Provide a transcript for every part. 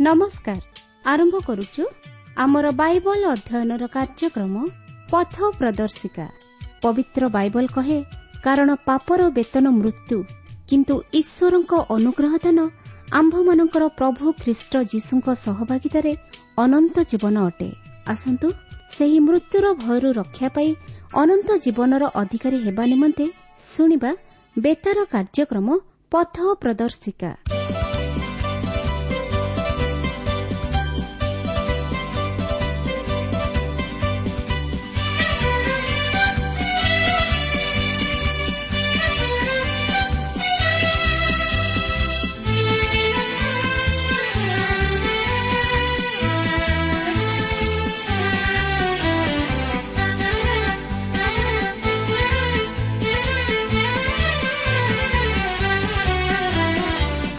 ନମସ୍କାର। ଆରମ୍ଭ କରୁଛୁ ଆମର ବାଇବଲ ଅଧ୍ୟୟନର କାର୍ଯ୍ୟକ୍ରମ ପଥ ପ୍ରଦର୍ଶିକା। ପବିତ୍ର ବାଇବଲ କହେ, କାରଣ ପାପର ବେତନ ମୃତ୍ୟୁ, କିନ୍ତୁ ଈଶ୍ୱରଙ୍କ ଅନୁଗ୍ରହ ଦାନ ଆମ୍ଭମାନଙ୍କର ପ୍ରଭୁ ଖ୍ରୀଷ୍ଟ ଯୀଶୁଙ୍କ ସହଭାଗିତାରେ ଅନନ୍ତ ଜୀବନ ଅଟେ। ଆସନ୍ତୁ ସେହି ମୃତ୍ୟୁର ଭୟରୁ ରକ୍ଷା ପାଇ ଅନନ୍ତ ଜୀବନର ଅଧିକାରୀ ହେବା ନିମନ୍ତେ ଶୁଣିବା ବେତାର କାର୍ଯ୍ୟକ୍ରମ ପଥ ପ୍ରଦର୍ଶିକା।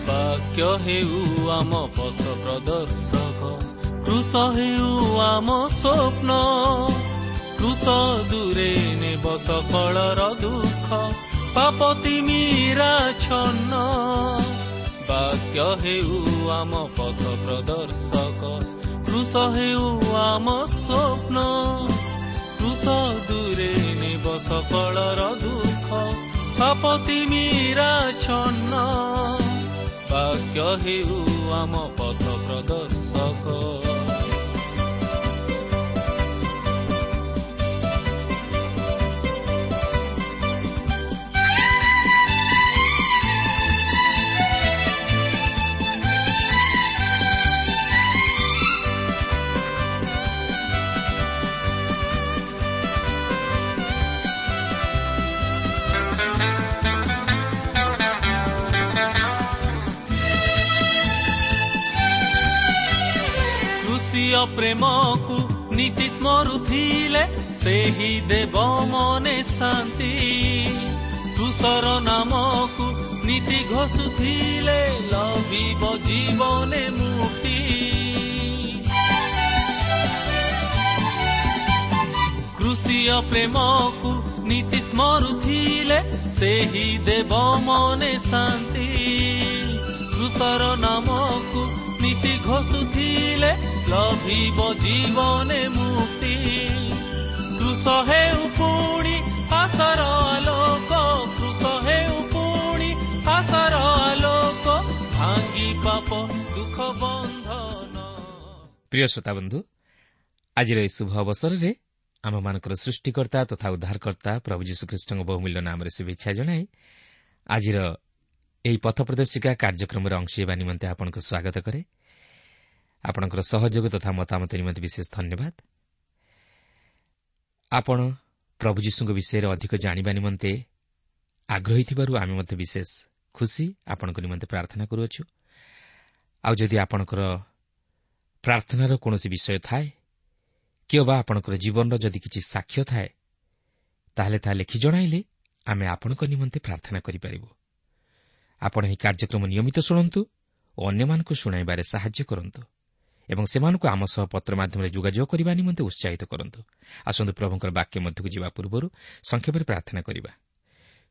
ବାକ୍ୟ ହେଉ ଆମ ପଥ ପ୍ରଦର୍ଶକ, କୃଷ ହେଉ ଆମ ସ୍ୱପ୍ନ। କୃଷ ଦୂରେ ନେବ ସକଳର ଦୁଃଖ, ପାପ ତିମିରା ଛନ୍ନ। ବାକ୍ୟ ହେଉ ଆମ ପଥ ପ୍ରଦର୍ଶକ, କୃଷ ହେଉ ଆମ ସ୍ୱପ୍ନ। କୃଷ ଦୂରେ ନେବ ସକଳର ଦୁଃଖ, ପାପ ତିମିରା ଛନ୍ନ। ବାକ୍ୟ ହେଉ ଆମ ପଥ ପ୍ରଦର୍ଶକ। ପ୍ରେମକୁ ନୀତି ସ୍ମରୁଥିଲେ ସେହି ଦେବ ମନେ ଶାନ୍ତି। କୃଷର ନାମକୁ ନୀତି ଘୋଷୁଥିଲେ ଲଭିବ ଜୀବନେ ମୁକ୍ତି। କୃଷିୟ ପ୍ରେମକୁ ନୀତି ସ୍ମରୁଥିଲେ ସେହି ଦେବ ମନେ ଶାନ୍ତି। କୃଷର ନାମକୁ ନୀତି ଘୋଷୁଥିଲେ ଲଭିବ ଜୀବନେ ମୁକ୍ତି। କୃଷ ହେଉ ପୁଣି ଆଶାର ଆଲୋକ, କୃଷ ହେଉ ପୁଣି ଆଶାର ଆଲୋକ, ଭାଙ୍ଗି ପାପ ଦୁଃଖ ବନ୍ଧନ। ପ୍ରିୟ ଶ୍ରୋତାବନ୍ଧୁ, ଆଜିର ଏହି ଶୁଭ ଅବସରରେ ଆମମାନଙ୍କର ସୃଷ୍ଟିକର୍ତ୍ତା ତଥା ଉଦ୍ଧାରକର୍ତ୍ତା ପ୍ରଭୁ ଯୀଶୁଖ୍ରୀଷ୍ଟଙ୍କ ବହୁମୂଲ୍ୟ ନାମରେ ଶୁଭେଚ୍ଛା ଜଣାଇ ଆଜିର ଏହି ପଥ ପ୍ରଦର୍ଶିକା କାର୍ଯ୍ୟକ୍ରମରେ ଅଂଶ ହେବା ନିମନ୍ତେ ଆପଣଙ୍କୁ ସ୍ୱାଗତ କରେ। ଆପଣଙ୍କର ସହଯୋଗ ତଥା ମତାମତ ନିମନ୍ତେ ବିଶେଷ ଧନ୍ୟବାଦ। ଆପଣ ପ୍ରଭୁ ଯୀଶୁଙ୍କ ବିଷୟରେ ଅଧିକ ଜାଣିବା ନିମନ୍ତେ ଆଗ୍ରହୀ ଥିବାରୁ ଆମେ ମଧ୍ୟ ବିଶେଷ ଖୁସି। ଆପଣଙ୍କ ନିମନ୍ତେ ପ୍ରାର୍ଥନା କରୁଅଛୁ। ଆଉ ଯଦି ଆପଣଙ୍କର ପ୍ରାର୍ଥନାର କୌଣସି ବିଷୟ ଥାଏ କିମ୍ବା ଆପଣଙ୍କର ଜୀବନର ଯଦି କିଛି ସାକ୍ଷ୍ୟ ଥାଏ, ତାହେଲେ ତାହା ଲେଖି ଜଣାଇଲେ ଆମେ ଆପଣଙ୍କ ନିମନ୍ତେ ପ୍ରାର୍ଥନା କରିପାରିବୁ। ଆପଣ ଏହି କାର୍ଯ୍ୟକ୍ରମ ନିୟମିତ ଶୁଣନ୍ତୁ ଓ ଅନ୍ୟମାନଙ୍କୁ ଶୁଣାଇବାରେ ସାହାଯ୍ୟ କରନ୍ତୁ ଏବଂ ସେମାନଙ୍କୁ ଆମ ସହ ପତ୍ର ମାଧ୍ୟମରେ ଯୋଗାଯୋଗ କରିବା ନିମନ୍ତେ ଉତ୍ସାହିତ କରନ୍ତୁ। ଆସନ୍ତୁ ପ୍ରଭୁଙ୍କର ବାକ୍ୟ ମଧ୍ୟକୁ ଯିବା ପୂର୍ବରୁ ସଂକ୍ଷେପରେ ପ୍ରାର୍ଥନା କରିବା।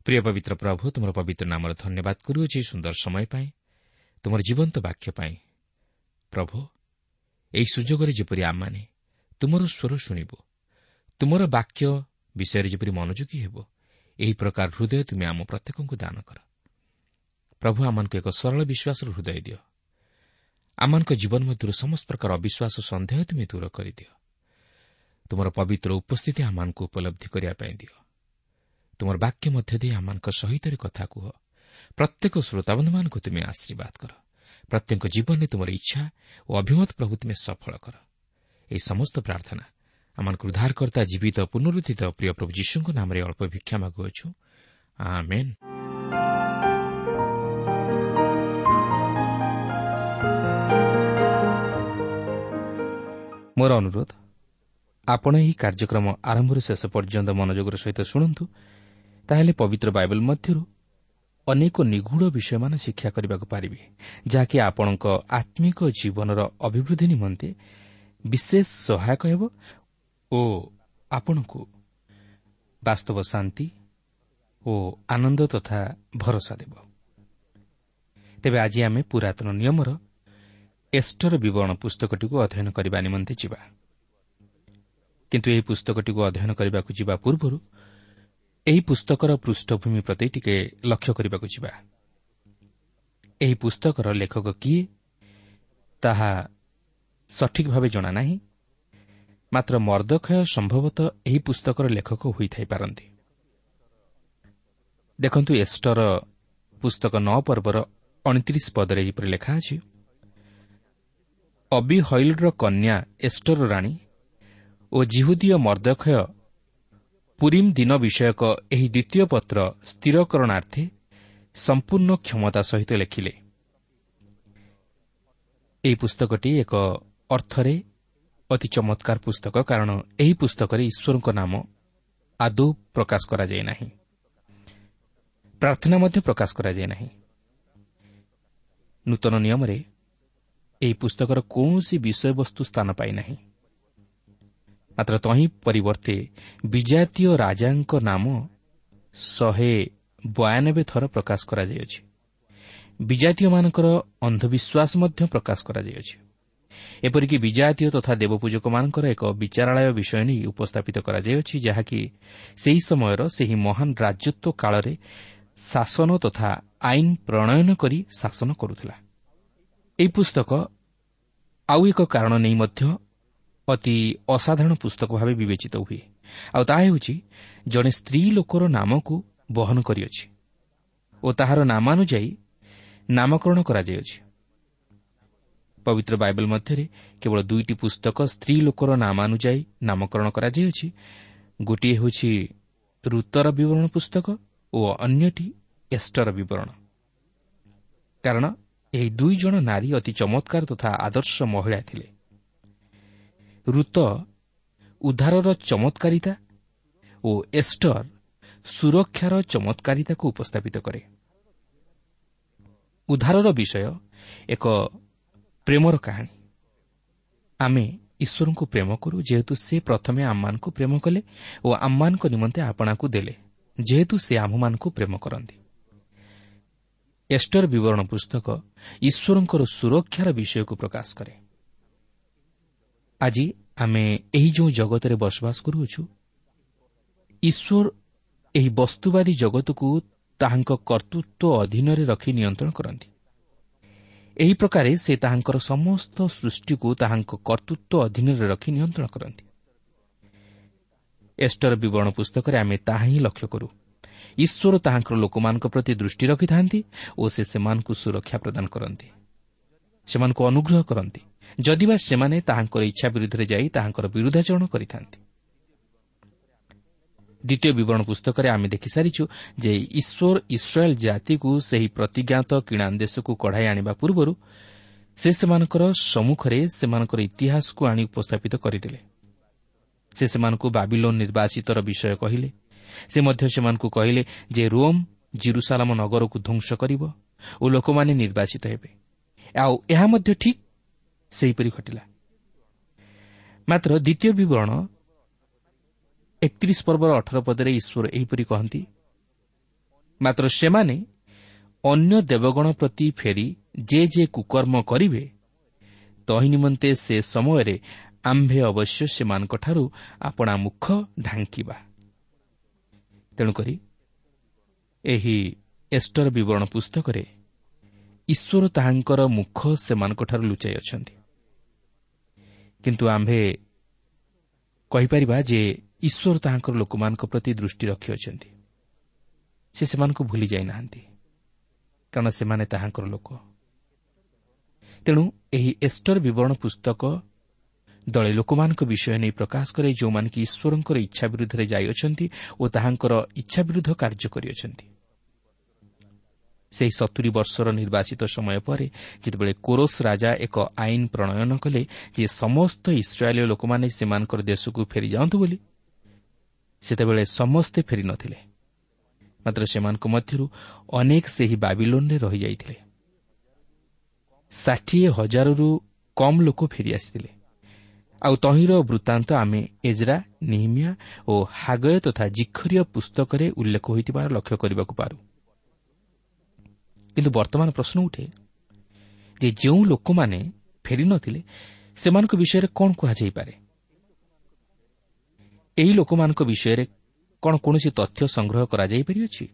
ପ୍ରିୟ ପବିତ୍ର ପ୍ରଭୁ, ତୁମର ପବିତ୍ର ନାମର ଧନ୍ୟବାଦ କରୁଅଛି ସୁନ୍ଦର ସମୟ ପାଇଁ, ତୁମର ଜୀବନ୍ତ ବାକ୍ୟ ପାଇଁ। ପ୍ରଭୁ, ଏହି ସୁଯୋଗରେ ଯେପରି ଆମମାନେ ତୁମର ସ୍ୱର ଶୁଣିବୁ, ତୁମର ବାକ୍ୟ ବିଷୟରେ ଯେପରି ମନୋଯୋଗୀ ହେବ, ଏହି ପ୍ରକାର ହୃଦୟ ତୁମେ ଆମ ପ୍ରତ୍ୟେକଙ୍କୁ ଦାନ କର। ପ୍ରଭୁ, ଆମମାନଙ୍କୁ ଏକ ସରଳ ବିଶ୍ୱାସର ହୃଦୟ ଦିଅ। ଆମମାନଙ୍କ ଜୀବନ ମଧ୍ୟରୁ ସମସ୍ତ ପ୍ରକାର ଅବିଶ୍ୱାସ ସନ୍ଦେହ ତୁମେ ଦୂର କରିଦିଅ। ତୁମର ପବିତ୍ର ଉପସ୍ଥିତି ଆମମାନଙ୍କୁ ଉପଲବ୍ଧି କରିବା ପାଇଁ ଦିଅ। ତୁମର ବାକ୍ୟ ମଧ୍ୟ ଦେଇ ଆମମାନଙ୍କ ସହିତ କଥା କୁହ। ପ୍ରତ୍ୟେକ ଶ୍ରୋତାବନ୍ଧୁମାନଙ୍କୁ ତୁମେ ଆଶୀର୍ବାଦ କର। ପ୍ରତ୍ୟେକ ଜୀବନରେ ତୁମର ଇଚ୍ଛା ଓ ଅଭିମତ ପ୍ରଭୁ ତୁମେ ସଫଳ କର। ଏହି ସମସ୍ତ ପ୍ରାର୍ଥନା ଆମମାନଙ୍କୁ ଉଦ୍ଧାରକର୍ତ୍ତା ଜୀବିତ ପୁନରୁତ୍ଥିତ ପ୍ରିୟ ପ୍ରଭୁ ଯୀଶୁଙ୍କ ନାମରେ ଅଳ୍ପ ଭିକ୍ଷା ମାଗୁଅଛୁ, ଆମେନ୍। ମୋର ଅନୁରୋଧ, ଆପଣ ଏହି କାର୍ଯ୍ୟକ୍ରମ ଆରମ୍ଭରୁ ଶେଷ ପର୍ଯ୍ୟନ୍ତ ମନୋଯୋଗର ସହିତ ଶୁଣନ୍ତୁ, ତାହେଲେ ପବିତ୍ର ବାଇବଲ ମଧ୍ୟରୁ ଅନେକ ନିଗୂଢ଼ ବିଷୟମାନ ଶିକ୍ଷା କରିବାକୁ ପାରିବେ, ଯାହାକି ଆପଣଙ୍କ ଆତ୍ମିକ ଜୀବନର ଅଭିବୃଦ୍ଧି ନିମନ୍ତେ ବିଶେଷ ସହାୟକ ହେବ ଓ ଆପଣଙ୍କୁ ବାସ୍ତବ ଶାନ୍ତି ଓ ଆନନ୍ଦ ତଥା ଭରସା ଦେବ। ତେବେ ଆଜି ଆମେ ପୁରାତନ ନିୟମର ଏଷ୍ଟର ବିବରଣ ପୁସ୍ତକଟିକୁ ଅଧ୍ୟୟନ କରିବା ନିମନ୍ତେ ଯିବା। କିନ୍ତୁ ଏହି ପୁସ୍ତକଟିକୁ ଅଧ୍ୟୟନ କରିବାକୁ ଯିବା ପୂର୍ବରୁ ଏହି ପୁସ୍ତକର ପୃଷ୍ଠଭୂମି ପ୍ରତି ଟିକେ ଲକ୍ଷ୍ୟ କରିବାକୁ ଯିବା। ଏହି ପୁସ୍ତକର ଲେଖକ କିଏ ତାହା ସଠିକ୍ ଭାବେ ଜଣା ନାହିଁ, ମାତ୍ର ମର୍ଦ୍ଦଖୟ ସମ୍ଭବତଃ ଏହି ପୁସ୍ତକର ଲେଖକ ହୋଇଥାଇପାରନ୍ତି। ଦେଖନ୍ତୁ, ଏଷ୍ଟର ପୁସ୍ତକ 9 ପର୍ବର 29 ପଦରେ ଏହିପରି ଲେଖା ଅଛି, ଅବିହଇଲର କନ୍ୟା ଏଷ୍ଟର ରାଣୀ ଓ ଜିହୁଦୀୟ ମର୍ଦ୍ଦଖୟ ପୁରିମ୍ ଦିନ ବିଷୟକ ଏହି ଦ୍ୱିତୀୟ ପତ୍ର ସ୍ଥିରକରଣାର୍ଥେ ସମ୍ପୂର୍ଣ୍ଣ କ୍ଷମତା ସହିତ ଲେଖିଲେ। ଏହି ପୁସ୍ତକଟି ଏକ ଅର୍ଥରେ ଅତି ଚମତ୍କାର ପୁସ୍ତକ, କାରଣ ଏହି ପୁସ୍ତକରେ ଈଶ୍ୱରଙ୍କ ନାମ ଆଦୌ ପ୍ରକାଶ କରାଯାଇ ନାହିଁ, ପ୍ରାର୍ଥନା ମଧ୍ୟ ପ୍ରକାଶ କରାଯାଇ ନାହିଁ। ନୂତନ ନିୟମରେ ଏହି ପୁସ୍ତକର କୌଣସି ବିଷୟବସ୍ତୁ ସ୍ଥାନ ପାଇନାହିଁ, ମାତ୍ର ତହିଁ ପରିବର୍ତ୍ତେ ବିଜାତୀୟ ରାଜାଙ୍କ ନାମ 192 ଥର ପ୍ରକାଶ କରାଯାଇଅଛି। ବିଜାତୀୟମାନଙ୍କର ଅନ୍ଧବିଶ୍ୱାସ ମଧ୍ୟ ପ୍ରକାଶ କରାଯାଇଅଛି। ଏପରିକି ବିଜାତୀୟ ତଥା ଦେବପୂଜକମାନଙ୍କର ଏକ ବିଚାରାଳୟ ବିଷୟ ନେଇ ଉପସ୍ଥାପିତ କରାଯାଇଅଛି, ଯାହାକି ସେହି ସମୟର ସେହି ମହାନ ରାଜତ୍ୱ କାଳରେ ଶାସନ ତଥା ଆଇନ ପ୍ରଣୟନ କରି ଶାସନ କରୁଥିଲା। ଏହି ପୁସ୍ତକ ଆଉ ଏକ କାରଣ ନେଇ ମଧ୍ୟ ଅତି ଅସାଧାରଣ ପୁସ୍ତକ ଭାବେ ବିବେଚିତ ହୁଏ, ଆଉ ତାହା ହେଉଛି ଜଣେ ସ୍ତ୍ରୀ ଲୋକର ନାମକୁ ବହନ କରିଅଛି ଓ ତାହାର ନାମାନୁଯାୟୀ ନାମକରଣ କରାଯାଇଅଛି। ପବିତ୍ର ବାଇବଲ ମଧ୍ୟରେ କେବଳ 2ଟି ପୁସ୍ତକ ସ୍ତ୍ରୀ ଲୋକର ନାମାନୁଯାୟୀ ନାମକରଣ କରାଯାଇଅଛି। ଗୋଟିଏ ହେଉଛି ଋତର ବିବରଣ ପୁସ୍ତକ ଓ ଅନ୍ୟଟି ଏଷ୍ଟର ବିବରଣ। କାରଣ ଏହି 2 ଜଣ ନାରୀ ଅତି ଚମତ୍କାର ତଥା ଆଦର୍ଶ ମହିଳା ଥିଲେ। ଋତ ଉଦ୍ଧାରର ଚମତ୍କାରିତା ଓ ଏଷ୍ଟର ସୁରକ୍ଷାର ଚମତ୍କାରିତାକୁ ଉପସ୍ଥାପିତ କରେ। ଉଦ୍ଧାରର ବିଷୟ ଏକ ପ୍ରେମର କାହାଣୀ। ଆମେ ଈଶ୍ୱରଙ୍କୁ ପ୍ରେମ କରୁ, ଯେହେତୁ ସେ ପ୍ରଥମେ ଆମମାନଙ୍କୁ ପ୍ରେମ କଲେ ଓ ଆମମାନଙ୍କ ନିମନ୍ତେ ଆପଣାକୁ ଦେଲେ, ଯେହେତୁ ସେ ଆମ୍ଭମାନଙ୍କୁ ପ୍ରେମ କରନ୍ତି। ଏଷ୍ଟର ବିବରଣ ପୁସ୍ତକ ଈଶ୍ୱରଙ୍କର ସୁରକ୍ଷାର ବିଷୟକୁ ପ୍ରକାଶ କରେ। ଆଜି ଆମେ ଏହି ଯେଉଁ ଜଗତରେ ବସବାସ କରୁଅଛୁ, ଈଶ୍ୱର ଏହି ବସ୍ତୁବାଦୀ ଜଗତକୁ ତାହାଙ୍କ କର୍ତ୍ତୃତ୍ୱ ଅଧୀନରେ ରଖି ନିୟନ୍ତ୍ରଣ କରନ୍ତି। ଏହି ପ୍ରକାରେ ସେ ତାହାଙ୍କର ସମସ୍ତ ସୃଷ୍ଟିକୁ ତାହାଙ୍କ କର୍ତ୍ତୃତ୍ୱ ଅଧୀନରେ ରଖି ନିୟନ୍ତ୍ରଣ କରନ୍ତି। ଏଷ୍ଟର ବିବରଣ ପୁସ୍ତକରେ ଆମେ ତାହା ହିଁ ଲକ୍ଷ୍ୟ କରୁ। ଈଶ୍ୱର ତାହାଙ୍କର ଲୋକମାନଙ୍କ ପ୍ରତି ଦୃଷ୍ଟି ରଖିଥାନ୍ତି ଓ ସେ ସେମାନଙ୍କୁ ସୁରକ୍ଷା ପ୍ରଦାନ କରନ୍ତି, ସେମାନଙ୍କୁ ଅନୁଗ୍ରହ କରନ୍ତି, ଯଦିବା ସେମାନେ ତାହାଙ୍କର ଇଚ୍ଛା ବିରୁଦ୍ଧରେ ଯାଇ ତାହାଙ୍କର ବିରୁଦ୍ଧାଚରଣ କରିଥାନ୍ତି। ଦ୍ୱିତୀୟ ବିବରଣ ପୁସ୍ତକରେ ଆମେ ଦେଖିସାରିଛୁ ଯେ ଈଶ୍ୱର ଇସ୍ରାଏଲ୍ ଜାତିକୁ ସେହି ପ୍ରତିଜ୍ଞାତ କିଣାନ ଦେଶକୁ କଢ଼ାଇ ଆଣିବା ପୂର୍ବରୁ ସେ ସେମାନଙ୍କର ସମ୍ମୁଖରେ ସେମାନଙ୍କର ଇତିହାସକୁ ଆଣି ଉପସ୍ଥାପିତ କରିଦେଲେ। ସେ ସେମାନଙ୍କୁ ବାବିଲୋନ ନିର୍ବାଚିତର ବିଷୟ କହିଲେ। ସେ ମଧ୍ୟ ସେମାନଙ୍କୁ କହିଲେ ଯେ ରୋମ୍ ଜିରୁସାଲାମ ନଗରକୁ ଧ୍ୱଂସ କରିବ ଓ ଲୋକମାନେ ନିର୍ବାଚିତ ହେବେ। ଆଉ ଏହା ମଧ୍ୟ ଠିକ୍ ସେହିପରି ଘଟିଲା। ମାତ୍ର ଦ୍ୱିତୀୟ ବିବରଣ 31 ପର୍ବର 18 ପଦରେ ଈଶ୍ୱର ଏହିପରି କହନ୍ତି, ମାତ୍ର ସେମାନେ ଅନ୍ୟ ଦେବଗଣ ପ୍ରତି ଫେରି ଯେ ଯେ କୁକର୍ମ କରିବେ, ତହିଁ ନିମନ୍ତେ ସେ ସମୟରେ ଆମ୍ଭେ ଅବଶ୍ୟ ସେମାନଙ୍କଠାରୁ ଆପଣା ମୁଖ ଢାଙ୍କିବା। ତେଣୁକରି ଏହି ଏଷ୍ଟର ବିବରଣ ପୁସ୍ତକରେ ଈଶ୍ୱର ତାହାଙ୍କର ମୁଖ ସେମାନଙ୍କଠାରୁ ଲୁଚାଇ ଅଛନ୍ତି। କିନ୍ତୁ ଆମ୍ଭେ କହିପାରିବା ଯେ ଈଶ୍ୱର ତାହାଙ୍କର ଲୋକମାନଙ୍କ ପ୍ରତି ଦୃଷ୍ଟି ରଖିଅଛନ୍ତି। ସେ ସେମାନଙ୍କୁ ଭୁଲି ଯାଇନାହାନ୍ତି, କାରଣ ସେମାନେ ତାହାଙ୍କର ଲୋକ। ତେଣୁ ଏହି ଏଷ୍ଟର ବିବରଣ ପୁସ୍ତକ ଦଳେ ଲୋକମାନଙ୍କ ବିଷୟ ନେଇ ପ୍ରକାଶ କରେ, ଯେଉଁମାନେ କି ଈଶ୍ୱରଙ୍କର ଇଚ୍ଛା ବିରୁଦ୍ଧରେ ଯାଇଅଛନ୍ତି ଓ ତାହାଙ୍କର ଇଚ୍ଛା ବିରୁଦ୍ଧ କାର୍ଯ୍ୟ କରିଅଛନ୍ତି। ସେହି 70 ବର୍ଷର ନିର୍ବାଚିତ ସମୟ ପରେ ଯେତେବେଳେ କୋରସ ରାଜା ଏକ ଆଇନ ପ୍ରଣୟନ କଲେ ଯେ ସମସ୍ତ ଇସ୍ରାଏଲୀୟ ଲୋକମାନେ ସେମାନଙ୍କର ଦେଶକୁ ଫେରିଯାଆନ୍ତୁ ବୋଲି, ସେତେବେଳେ ସମସ୍ତେ ଫେରିନଥିଲେ, ମାତ୍ର ସେମାନଙ୍କ ମଧ୍ୟରୁ ଅନେକ ସେହି ବାବିଲୋନରେ ରହିଯାଇଥିଲେ। 60,000ରୁ କମ୍ ଲୋକ ଫେରିଆସିଥିଲେ। ଆଉ ତହିଁର ବୃତ୍ତାନ୍ତ ଆମେ ଏଜ୍ରା, ନିହିମିଆ ଓ ହାଗୟ ତଥା ଜିଖରୀୟ ପୁସ୍ତକରେ ଉଲ୍ଲେଖ ହୋଇଥିବାର ଲକ୍ଷ୍ୟ କରିବାକୁ ପାରୁ। କିନ୍ତୁ ବର୍ତ୍ତମାନ ପ୍ରଶ୍ନ ଉଠେ ଯେ ଯେଉଁ ଲୋକମାନେ ଫେରିନଥିଲେ ସେମାନଙ୍କ ବିଷୟରେ କ'ଣ କୁହାଯାଇପାରେ? ଏହି ଲୋକମାନଙ୍କ ବିଷୟରେ କ'ଣ କୌଣସି ତଥ୍ୟ ସଂଗ୍ରହ କରାଯାଇପାରିଅଛି?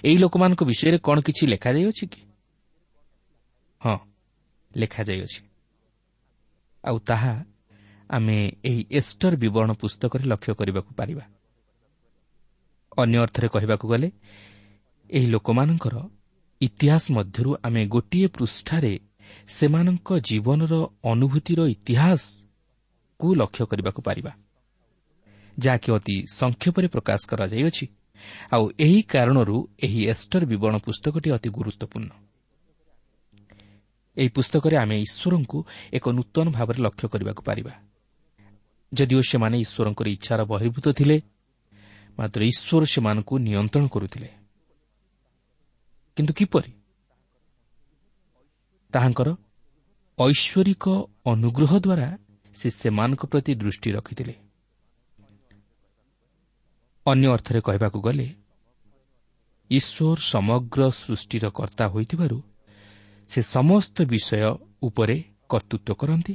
ଏହି ଲୋକମାନଙ୍କ ବିଷୟରେ କ'ଣ କିଛି ଲେଖାଯାଇଅଛି କି? ହଁ, ଲେଖାଯାଇଅଛି, ଆଉ ତାହା ଆମେ ଏହି ଏଷ୍ଟର ବିବରଣ ପୁସ୍ତକରେ ଲକ୍ଷ୍ୟ କରିବାକୁ ପାରିବା। ଅନ୍ୟ ଅର୍ଥରେ କହିବାକୁ ଗଲେ ଏହି ଲୋକମାନଙ୍କର ଇତିହାସ ମଧ୍ୟରୁ ଆମେ ଗୋଟିଏ ପୃଷ୍ଠାରେ ସେମାନଙ୍କ ଜୀବନର ଅନୁଭୂତିର ଇତିହାସକୁ ଲକ୍ଷ୍ୟ କରିବାକୁ ପାରିବା, ଯାହାକି ଅତି ସଂକ୍ଷେପରେ ପ୍ରକାଶ କରାଯାଇଅଛି। ଆଉ ଏହି କାରଣରୁ ଏହି ଏଷ୍ଟର ବିବରଣ ପୁସ୍ତକଟି ଅତି ଗୁରୁତ୍ୱପୂର୍ଣ୍ଣ। ଏହି ପୁସ୍ତକରେ ଆମେ ଈଶ୍ୱରଙ୍କୁ ଏକ ନୂତନ ଭାବରେ ଲକ୍ଷ୍ୟ କରିବାକୁ ପାରିବା। ଯଦିଓ ସେମାନେ ଈଶ୍ୱରଙ୍କର ଇଚ୍ଛାର ବହିର୍ଭୂତ ଥିଲେ, ମାତ୍ର ଈଶ୍ୱର ସେମାନଙ୍କୁ ନିୟନ୍ତ୍ରଣ କରୁଥିଲେ। କିନ୍ତୁ କିପରି? ତାହାଙ୍କର ଐଶ୍ୱରିକ ଅନୁଗ୍ରହ ଦ୍ୱାରା ସେ ସେମାନଙ୍କ ପ୍ରତି ଦୃଷ୍ଟି ରଖିଥିଲେ। ଅନ୍ୟ ଅର୍ଥରେ କହିବାକୁ ଗଲେ ଈଶ୍ୱର ସମଗ୍ର ସୃଷ୍ଟିର କର୍ତ୍ତା ହୋଇଥିବାରୁ ସେ ସମସ୍ତ ବିଷୟ ଉପରେ କର୍ତ୍ତୃତ୍ୱ କରନ୍ତି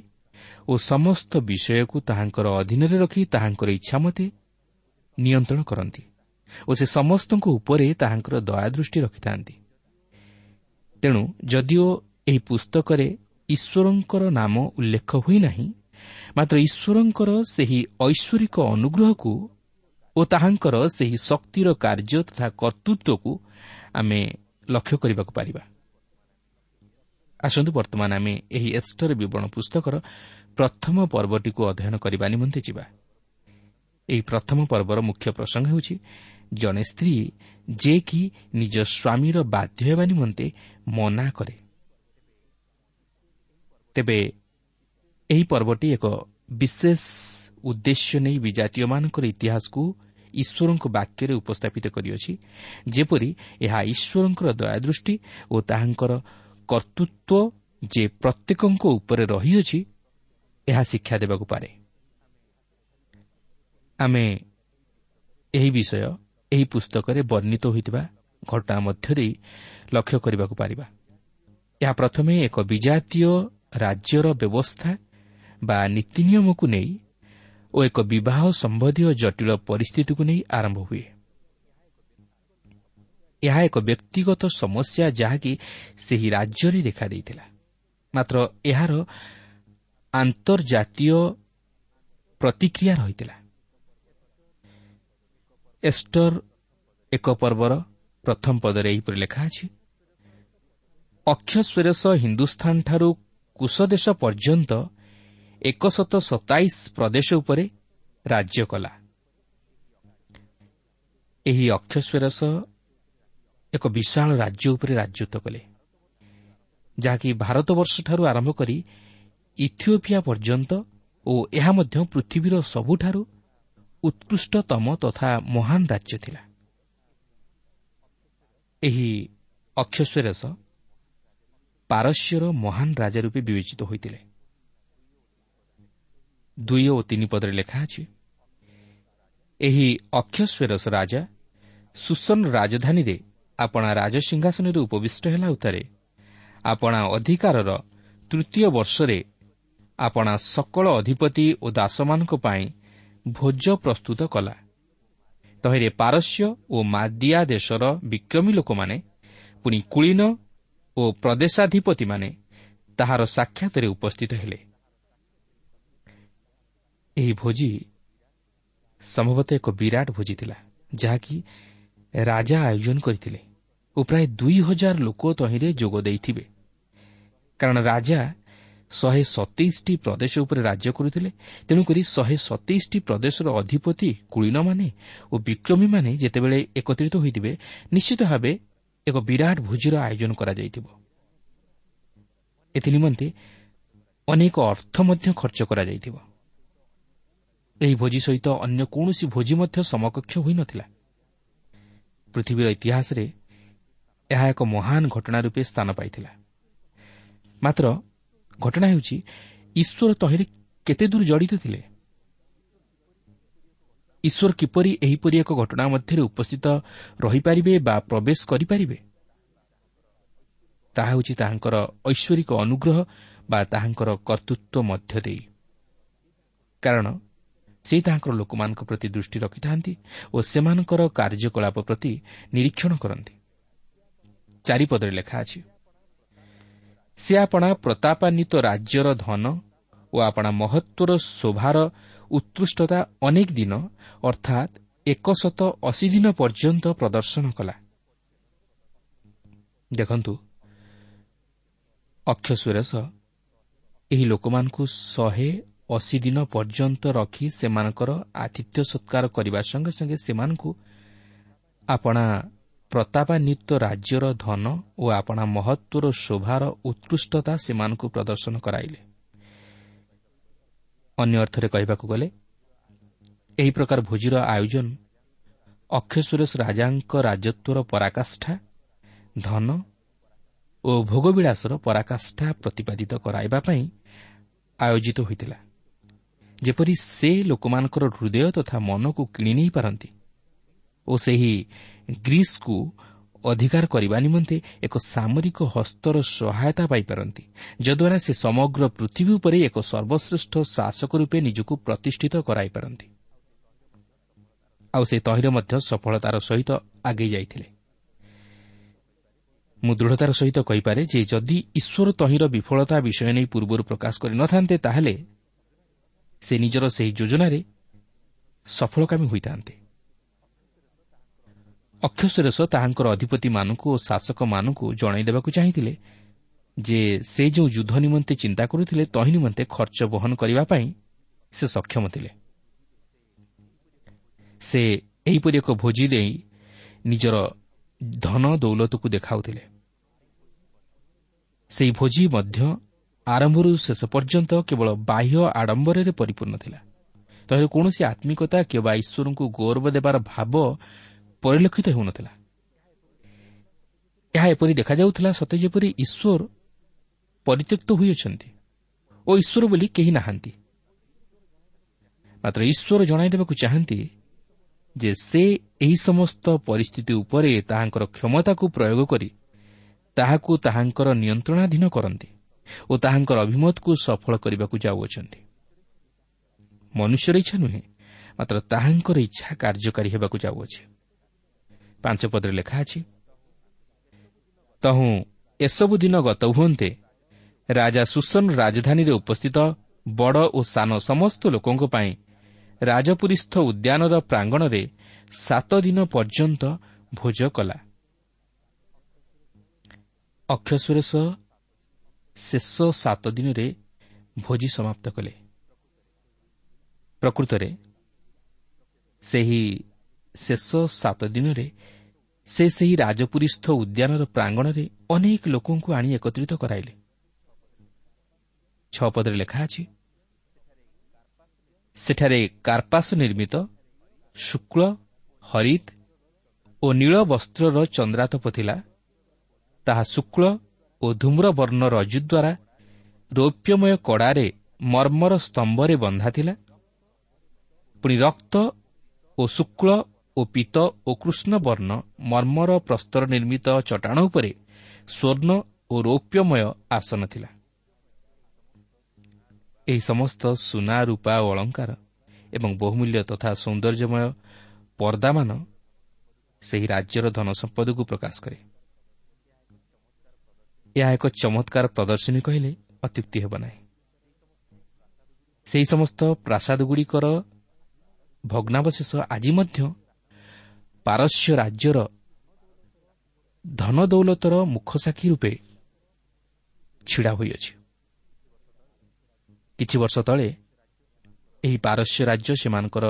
ଓ ସମସ୍ତ ବିଷୟକୁ ତାହାଙ୍କର ଅଧୀନରେ ରଖି ତାହାଙ୍କର ଇଚ୍ଛାମତେ ନିୟନ୍ତ୍ରଣ କରନ୍ତି ଓ ସେ ସମସ୍ତଙ୍କ ଉପରେ ତାହାଙ୍କର ଦୟାଦୃଷ୍ଟି ରଖିଥାନ୍ତି। ତେଣୁ ଯଦିଓ ଏହି ପୁସ୍ତକରେ ଈଶ୍ୱରଙ୍କର ନାମ ଉଲ୍ଲେଖ ହୋଇନାହିଁ, ମାତ୍ର ଈଶ୍ୱରଙ୍କର ସେହି ଐଶ୍ୱରିକ ଅନୁଗ୍ରହକୁ ଓ ତାହାଙ୍କର ସେହି ଶକ୍ତିର କାର୍ଯ୍ୟ ତଥା କର୍ତ୍ତୃତ୍ୱକୁ ଆମେ ଲକ୍ଷ୍ୟ କରିବାକୁ ପାରିବା। ଆସନ୍ତୁ ବର୍ତ୍ତମାନ ଆମେ ଏହି ଏଷ୍ଟର ବିବରଣ ପୁସ୍ତକର ପ୍ରଥମ ପର୍ବଟିକୁ ଅଧ୍ୟୟନ କରିବା ନିମନ୍ତେ ଯିବା। ଏହି ପ୍ରଥମ ପର୍ବର ମୁଖ୍ୟ ପ୍ରସଙ୍ଗ ହେଉଛି ଜଣେ ସ୍ତ୍ରୀ ଯେ କି ନିଜ ସ୍ୱାମୀର ବାଧ୍ୟ ହେବା ନିମନ୍ତେ ମନା କରେ। ତେବେ ଏହି ପର୍ବଟି ଏକ ବିଶେଷ ଉଦ୍ଦେଶ୍ୟ ନେଇ ବିଜାତୀୟମାନଙ୍କର ଇତିହାସକୁ ଈଶ୍ୱରଙ୍କ ବାକ୍ୟରେ ଉପସ୍ଥାପିତ କରିଅଛି, ଯେପରି ଏହା ଈଶ୍ୱରଙ୍କର ଦୟାଦୃଷ୍ଟି ଓ ତାହାଙ୍କର କର୍ତ୍ତୃତ୍ୱ ଯେ ପ୍ରତ୍ୟେକଙ୍କ ଉପରେ ରହିଅଛି ଏହା ଶିକ୍ଷା ଦେବାକୁ ପାରେ। ଆମେ ଏହି ବିଷୟ ଏହି ପୁସ୍ତକରେ ବର୍ଣ୍ଣିତ ହୋଇଥିବା ଘଟଣା ମଧ୍ୟରେ ଲକ୍ଷ୍ୟ କରିବାକୁ ପାରିବା। ଏହା ପ୍ରଥମେ ଏକ ବିଜାତୀୟ ରାଜ୍ୟର ବ୍ୟବସ୍ଥା ବା ନୀତିନିୟମକୁ ନେଇ ଓ ଏକ ବିବାହ ସମ୍ବନ୍ଧୀୟ ଜଟିଳ ପରିସ୍ଥିତିକୁ ନେଇ ଆରମ୍ଭ ହୁଏ। ଏହା ଏକ ବ୍ୟକ୍ତିଗତ ସମସ୍ୟା ଯାହାକି ସେହି ରାଜ୍ୟରେ ଦେଖାଦେଇଥିଲା, ମାତ୍ର ଏହାର ଆନ୍ତର୍ଜାତୀୟ ପ୍ରତିକ୍ରିୟା ରହିଥିଲା। ଏଷ୍ଟର ଏକ ପର୍ବର ପ୍ରଥମ ପଦରେ ଏହିପରି ଲେଖା ଅଛି, ଅକ୍ଷସ୍ୱେରସ ହିନ୍ଦୁସ୍ଥାନଠାରୁ କୁଶଦେଶ ପର୍ଯ୍ୟନ୍ତ 127 ପ୍ରଦେଶ ଉପରେ ରାଜ୍ୟ କଲା। ଏହି ଅକ୍ଷସ୍ୱେରସ ଏକ ବିଶାଳ ରାଜ୍ୟ ଉପରେ ରାଜତ୍ୱ କଲେ, ଯାହାକି ଭାରତବର୍ଷଠାରୁ ଆରମ୍ଭ କରି ଇଥିଓପିଆ ପର୍ଯ୍ୟନ୍ତ ଓ ଏହା ମଧ୍ୟ ପୃଥିବୀର ସବୁଠାରୁ ଉତ୍କୃଷ୍ଟତମ ତଥା ମହାନ ରାଜ୍ୟ ଥିଲା। ଏହି ଅକ୍ଷସ୍ୱେରସ ପାରସ୍ୟର ମହାନ ରାଜା ରୂପେ ବିବେଚିତ ହୋଇଥିଲେ। 2 ଓ 3 ପଦରେ ଲେଖା ଅଛି, ଏହି ଅକ୍ଷସ୍ୱେରସ ରାଜା ସୁସନ ରାଜଧାନୀରେ ଆପଣା ରାଜସିଂହାସନରେ ଉପବିଷ୍ଟ ହେଲା ଉତ୍ତାରେ ଆପଣା ଅଧିକାରର ତୃତୀୟ ବର୍ଷରେ ଆପଣା ସକଳ ଅଧିପତି ଓ ଦାସମାନଙ୍କ ପାଇଁ ଭୋଜ ପ୍ରସ୍ତୁତ କଲା। ତହିଁରେ ପାରସ୍ୟ ଓ ମାଦିଆ ଦେଶର ବିକ୍ରମୀ ଲୋକମାନେ, ପୁଣି କୁଳୀନ ଓ ପ୍ରଦେଶାଧିପତିମାନେ ତାହାର ସାକ୍ଷାତରେ ଉପସ୍ଥିତ ହେଲେ। ଏହି ଭୋଜି ସମ୍ଭବତଃ ଏକ ବିରାଟ ଭୋଜି ଥିଲା, ଯାହାକି ରାଜା ଆୟୋଜନ କରିଥିଲେ ଓ ପ୍ରାୟ 2000 ଲୋକ ତହିଁରେ ଯୋଗ ଦେଇଥିବେ, କାରଣ ରାଜା 127ଟି ପ୍ରଦେଶ ଉପରେ ରାଜ୍ୟ କରୁଥିଲେ। ତେଣୁକରି 127ଟି ପ୍ରଦେଶର ଅଧିପତି, କୁଳୀନମାନେ ଓ ବିକ୍ରମୀମାନେ ଯେତେବେଳେ ଏକତ୍ରିତ ହୋଇଥିବେ, ନିଶ୍ଚିତ ଭାବେ ଏକ ବିରାଟ ଭୋଜିର ଆୟୋଜନ କରାଯାଇଥିବ। ଏଥିନିମନ୍ତେ ଅନେକ ଅର୍ଥ ମଧ୍ୟ ଖର୍ଚ୍ଚ କରାଯାଇଥିବ। ଏହି ଭୋଜି ସହିତ ଅନ୍ୟ କୌଣସି ଭୋଜି ମଧ୍ୟ ସମକକ୍ଷ ହୋଇନଥିଲା। ପୃଥିବୀର ଇତିହାସରେ ଏହା ଏକ ମହାନ ଘଟଣା ରୂପେ ସ୍ଥାନ ପାଇଥିଲା। ମାତ୍ର ଘଟଣା ହେଉଛି ଈଶ୍ୱର ତହିଁରେ କେତେ ଦୂର ଜଡ଼ିତ ଥିଲେ। ଈଶ୍ୱର କିପରି ଏହିପରି ଏକ ଘଟଣା ମଧ୍ୟରେ ଉପସ୍ଥିତ ରହିପାରିବେ ବା ପ୍ରବେଶ କରିପାରିବେ, ତାହା ହେଉଛି ତାହାଙ୍କର ଐଶ୍ୱରିକ ଅନୁଗ୍ରହ ବା ତାହାଙ୍କର କର୍ତ୍ତୃତ୍ୱ ମଧ୍ୟ ଦେଇ, କାରଣ ସେ ତାହାଙ୍କର ଲୋକମାନଙ୍କ ପ୍ରତି ଦୃଷ୍ଟି ରଖିଥାନ୍ତି ଓ ସେମାନଙ୍କର କାର୍ଯ୍ୟକଳାପ ପ୍ରତି ନିରୀକ୍ଷଣ କରନ୍ତି। 4 ପଦରେ ଲେଖା ଅଛି, ସେ ଆପଣା ପ୍ରତାପାନ୍ୱିତ ରାଜ୍ୟର ଧନ ଓ ଆପଣା ମହତ୍ତ୍ୱର ଶୋଭାର ଉତ୍କୃଷ୍ଟତା ଅନେକ ଦିନ, ଅର୍ଥାତ୍ 180 ଦିନ ପର୍ଯ୍ୟନ୍ତ ପ୍ରଦର୍ଶନ କଲା। ଦେଖନ୍ତୁ, ଅକ୍ଷସୁରେଶ ଏହି ଲୋକମାନଙ୍କୁ 180 ଦିନ ପର୍ଯ୍ୟନ୍ତ ରଖି ସେମାନଙ୍କର ଆତିଥ୍ୟ ସତ୍କାର କରିବା ସଙ୍ଗେ ସଙ୍ଗେ ସେମାନଙ୍କୁ ଆପଣା ପ୍ରତାପାନ୍ୱିତ ରାଜ୍ୟର ଧନ ଓ ଆପଣା ମହତ୍ତ୍ୱର ଶୋଭାର ଉତ୍କୃଷ୍ଟତା ସେମାନଙ୍କୁ ପ୍ରଦର୍ଶନ କରାଇଲେ। ଅନ୍ୟ ଅର୍ଥରେ କହିବାକୁ ଗଲେ ଏହି ପ୍ରକାର ଭୋଜିର ଆୟୋଜନ ଅକ୍ଷସୁରେଶ ରାଜାଙ୍କ ରାଜତ୍ୱର ପରାକାଷ୍ଠା, ଧନ ଓ ଭୋଗବିଳାସର ପରାକାଷ୍ଠା ପ୍ରତିପାଦିତ କରାଇବା ପାଇଁ ଆୟୋଜିତ ହୋଇଥିଲା, ଯେପରି ସେ ଲୋକମାନଙ୍କର ହୃଦୟ ତଥା ମନକୁ କିଣି ନେଇପାରନ୍ତି ଓ ସେହି ଗ୍ରୀସ୍କୁ ଅଧିକାର କରିବା ନିମନ୍ତେ ଏକ ସାମରିକ ହସ୍ତର ସହାୟତା ପାଇପାରନ୍ତି, ଯଦ୍ୱାରା ସେ ସମଗ୍ର ପୃଥିବୀ ଉପରେ ଏକ ସର୍ବଶ୍ରେଷ୍ଠ ଶାସକ ରୂପେ ନିଜକୁ ପ୍ରତିଷ୍ଠିତ କରାଇପାରନ୍ତି। ଆଉ ସେ ତହିଁରେ ମଧ୍ୟ ସଫଳତାର ସହିତ ଆଗେଇ ଯାଇଥିଲେ। ମୁଁ ଦୃଢ଼ତାର ସହିତ କହିପାରେ ଯେ ଯଦି ଈଶ୍ୱର ତହିଁର ବିଫଳତା ବିଷୟ ନେଇ ପୂର୍ବରୁ ପ୍ରକାଶ କରିନଥାନ୍ତେ, ତାହେଲେ ସେ ନିଜର ସେହି ଯୋଜନାରେ ସଫଳକାମୀ ହୋଇଥାନ୍ତେ। ଅକ୍ଷସୁରେଶ ତାହାଙ୍କର ଅଧିପତିମାନଙ୍କୁ ଓ ଶାସକମାନଙ୍କୁ ଜଣାଇଦେବାକୁ ଚାହିଁଥିଲେ ଯେ ସେ ଯେଉଁ ଯୁଦ୍ଧ ନିମନ୍ତେ ଚିନ୍ତା କରୁଥିଲେ ତହିଁ ନିମନ୍ତେ ଖର୍ଚ୍ଚ ବହନ କରିବା ପାଇଁ ସେ ସକ୍ଷମ ଥିଲେ। ସେ ଏହିପରି ଏକ ଭୋଜି ଦେଇ ନିଜର ଧନ ଦୌଲତକୁ ଦେଖାଉଥିଲେ। ସେହି ଭୋଜି ମଧ୍ୟ ଆରମ୍ଭରୁ ଶେଷ ପର୍ଯ୍ୟନ୍ତ କେବଳ ବାହ୍ୟ ଆଡମ୍ବରରେ ପରିପୂର୍ଣ୍ଣ ଥିଲା। ତହିଁରେ କୌଣସି ଆତ୍ମିକତା କିମ୍ବା ଈଶ୍ୱରଙ୍କୁ ଗୌରବ ଦେବାର ଭାବ ପରିଲକ୍ଷିତ ହେଉନଥିଲା। ଏହା ଏପରି ଦେଖାଯାଉଥିଲା ସତେ ଯେପରି ଈଶ୍ୱର ପରିତ୍ୟକ୍ତ ହୋଇଅଛନ୍ତି ଓ ଈଶ୍ୱର ବୋଲି କେହି ନାହାନ୍ତି। ମାତ୍ର ଈଶ୍ୱର ଜଣାଇଦେବାକୁ ଚାହାନ୍ତି ଯେ ସେ ଏହି ସମସ୍ତ ପରିସ୍ଥିତି ଉପରେ ତାହାଙ୍କର କ୍ଷମତାକୁ ପ୍ରୟୋଗ କରି ତାହାକୁ ତାହାଙ୍କର ନିୟନ୍ତ୍ରଣାଧୀନ କରନ୍ତି ଓ ତାହାଙ୍କର ଅଭିମତକୁ ସଫଳ କରିବାକୁ ଯାଉଅଛନ୍ତି। ମନୁଷ୍ୟର ଇଚ୍ଛା ନୁହେଁ, ମାତ୍ର ତାହାଙ୍କର ଇଚ୍ଛା କାର୍ଯ୍ୟକାରୀ ହେବାକୁ ଯାଉଅଛି। 5 ପଦରେ ଲେଖା ଅଛି, ତହୁଁ ଏସବୁ ଦିନ ଗତ ହୁଅନ୍ତେ ରାଜା ସୁସନ ରାଜଧାନୀରେ ଉପସ୍ଥିତ ବଡ଼ ଓ ସାନ ସମସ୍ତ ଲୋକଙ୍କ ପାଇଁ ରାଜପୁରୀସ୍ଥ ଉଦ୍ୟାନର ପ୍ରାଙ୍ଗଣରେ 7 ଦିନ ପର୍ଯ୍ୟନ୍ତ ଭୋଜ କଲା। ଅକ୍ଷସୁରେଶ ଶେଷ 7 ଦିନରେ ଭୋଜି ସମାପ୍ତ କଲେ। ପ୍ରକୃତରେ ସେହି ଶେଷ 7 ଦିନରେ ସେ ସେହି ରାଜପୁରୀସ୍ଥ ଉଦ୍ୟାନର ପ୍ରାଙ୍ଗଣରେ ଅନେକ ଲୋକଙ୍କୁ ଆଣି ଏକତ୍ରିତ କରାଇଲେ। 6 ପଦରେ ଲେଖା ଅଛି, ସେଠାରେ କାର୍ପାସ ନିର୍ମିତ ଶୁକ୍ଳ, ହରିତ ଓ ନୀଳ ବସ୍ତ୍ରର ଚନ୍ଦ୍ରାତପ ଥିଲା। ତାହା ଶୁକ୍ଳ ଓ ଧୂମ୍ରବର୍ଣ୍ଣ ରଜ୍ଜୁ ଦ୍ୱାରା ରୌପ୍ୟମୟ କଡ଼ାରେ ମର୍ମର ସ୍ତମ୍ଭରେ ବନ୍ଧା ଥିଲା। ପୁଣି ରକ୍ତ ଓ ଶୁକ୍ଳ ଓ ପୀତ ଓ କୃଷ୍ଣବର୍ଣ୍ଣ ମର୍ମର ପ୍ରସ୍ତର ନିର୍ମିତ ଚଟାଣ ଉପରେ ସ୍ୱର୍ଣ୍ଣ ଓ ରୌପ୍ୟମୟ ଆସନ ଥିଲା। ଏହି ସମସ୍ତ ସୁନା, ରୂପା ଓ ଅଳଙ୍କାର ଏବଂ ବହୁମୂଲ୍ୟ ତଥା ସୌନ୍ଦର୍ଯ୍ୟମୟ ପର୍ଦ୍ଦାମାନ ସେହି ରାଜ୍ୟର ଧନସମ୍ପଦକୁ ପ୍ରକାଶ କରେ। ଏହା ଏକ ଚମତ୍କାର ପ୍ରଦର୍ଶନୀ କହିଲେ ଅତ୍ୟୁକ୍ତି ହେବ ନାହିଁ। ସେହି ସମସ୍ତ ପ୍ରାସାଦଗୁଡ଼ିକର ଭଗ୍ନାବଶେଷ ଆଜି ମଧ୍ୟ ପାରସ୍ୟ ରାଜ୍ୟର ଧନଦୌଲତର ମୁଖସାକ୍ଷୀ ରୂପେ ଛିଡ଼ା ହୋଇଅଛି। କିଛି ବର୍ଷ ତଳେ ଏହି ପାରସ୍ୟ ରାଜ୍ୟ ସେମାନଙ୍କର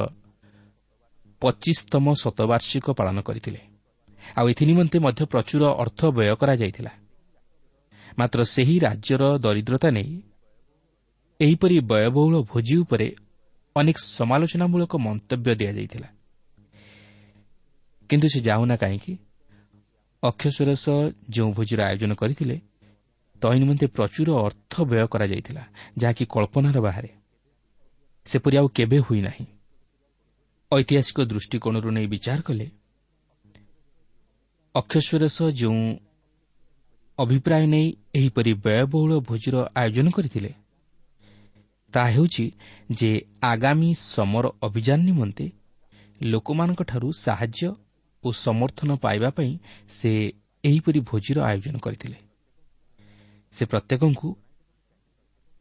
25ତମ ଶତବାର୍ଷିକ ପାଳନ କରିଥିଲେ। ଆଉ ଏଥିନିମନ୍ତେ ମଧ୍ୟ ପ୍ରଚୁର ଅର୍ଥ ବ୍ୟୟ କରାଯାଇଥିଲା। ମାତ୍ର ସେହି ରାଜ୍ୟର ଦରିଦ୍ରତା ନେଇ ଏହିପରି ବ୍ୟୟବହୁଳ ଭୋଜି ଉପରେ ଅନେକ ସମାଲୋଚନାମୂଳକ ମନ୍ତବ୍ୟ ଦିଆଯାଇଥିଲା। କିନ୍ତୁ ସେ ଯାଉନା କାହିଁକି, ଅକ୍ଷସୁରେଶ ଯେଉଁ ଭୋଜିର ଆୟୋଜନ କରିଥିଲେ ତହିଁ ନିମନ୍ତେ ପ୍ରଚୁର ଅର୍ଥ ବ୍ୟୟ କରାଯାଇଥିଲା, ଯାହାକି କଳ୍ପନାର ବାହାରେ। ସେପରି ଆଉ କେବେ ହୋଇନାହିଁ। ଐତିହାସିକ ଦୃଷ୍ଟିକୋଣରୁ ନେଇ ବିଚାର କଲେ ଅକ୍ଷସୁରେଶ ଯେଉଁ ଅଭିପ୍ରାୟ ନେଇ ଏହିପରି ବ୍ୟୟବହୁଳ ଭୋଜିର ଆୟୋଜନ କରିଥିଲେ, ତାହା ହେଉଛି ଯେ ଆଗାମୀ ସମର ଅଭିଯାନ ନିମନ୍ତେ ଲୋକମାନଙ୍କଠାରୁ ସାହାଯ୍ୟ ଓ ସମର୍ଥନ ପାଇବା ପାଇଁ ସେ ଏହିପରି ଭୋଜିର ଆୟୋଜନ କରିଥିଲେ। ସେ ପ୍ରତ୍ୟେକଙ୍କୁ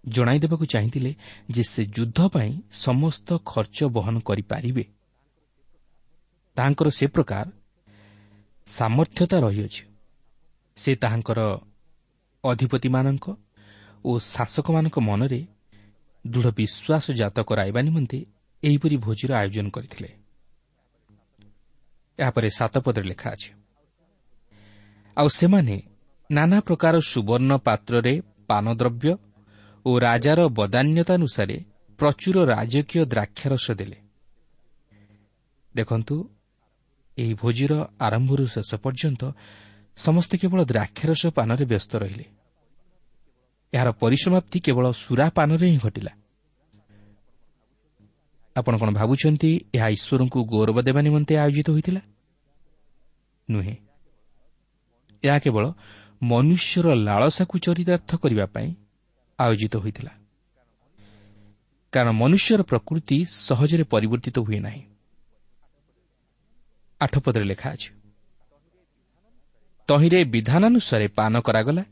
ଜଣାଇ ଦେବାକୁ ଚାହିଁଥିଲେ ଯେ ସେ ଯୁଦ୍ଧ ପାଇଁ ସମସ୍ତ ଖର୍ଚ୍ଚ ବହନ କରିପାରିବେ। ତାହାଙ୍କର ସେ ପ୍ରକାର ସାମର୍ଥ୍ୟତା ରହିଅଛି। ସେ ତାହାଙ୍କର ଅଧିପତିମାନଙ୍କ ଓ ଶାସକମାନଙ୍କ ମନରେ ଦୃଢ଼ ବିଶ୍ୱାସ ଜାତ କରାଇବା ନିମନ୍ତେ ଏହିପରି ଭୋଜିର ଆୟୋଜନ କରିଥିଲେ। ଏହାପରେ 7 ପଦରେ ଲେଖା ଅଛି, ଆଉ ସେମାନେ ନାନା ପ୍ରକାର ସୁବର୍ଣ୍ଣ ପାତ୍ରରେ ପାନଦ୍ରବ୍ୟ ଓ ରାଜାର ବଦାନ୍ୟତାନୁସାରେ ପ୍ରଚୁର ରାଜକୀୟ ଦ୍ରାକ୍ଷାରସ ଦେଲେ। ଦେଖନ୍ତୁ, ଏହି ଭୋଜିର ଆରମ୍ଭରୁ ଶେଷ ପର୍ଯ୍ୟନ୍ତ ସମସ୍ତେ କେବଳ ଦ୍ରାକ୍ଷାରସ ପାନରେ ବ୍ୟସ୍ତ ରହିଲେ। ଏହାର ପରିସମାପ୍ତି କେବଳ ସୁରାପାନରେ ହିଁ ଘଟିଲା। ଆପଣ କ'ଣ ଭାବୁଛନ୍ତି ଏହା ଈଶ୍ୱରଙ୍କୁ ଗୌରବ ଦେବା ନିମନ୍ତେ ଆୟୋଜିତ ହୋଇଥିଲା? ନୁହେଁ, ଏହା କେବଳ ମନୁଷ୍ୟର ଲାଳସାକୁ ଚରିତାର୍ଥ କରିବା ପାଇଁ ଆୟୋଜିତ ହୋଇଥିଲା। କାରଣ ମନୁଷ୍ୟର ପ୍ରକୃତି ସହଜରେ ପରିବର୍ତ୍ତିତ ହୁଏ ନାହିଁ। 8 ପଦରେ ଲେଖା ଅଛି, ତହିଁରେ ବିଧାନାନୁସାରେ ପାନ କରାଗଲା,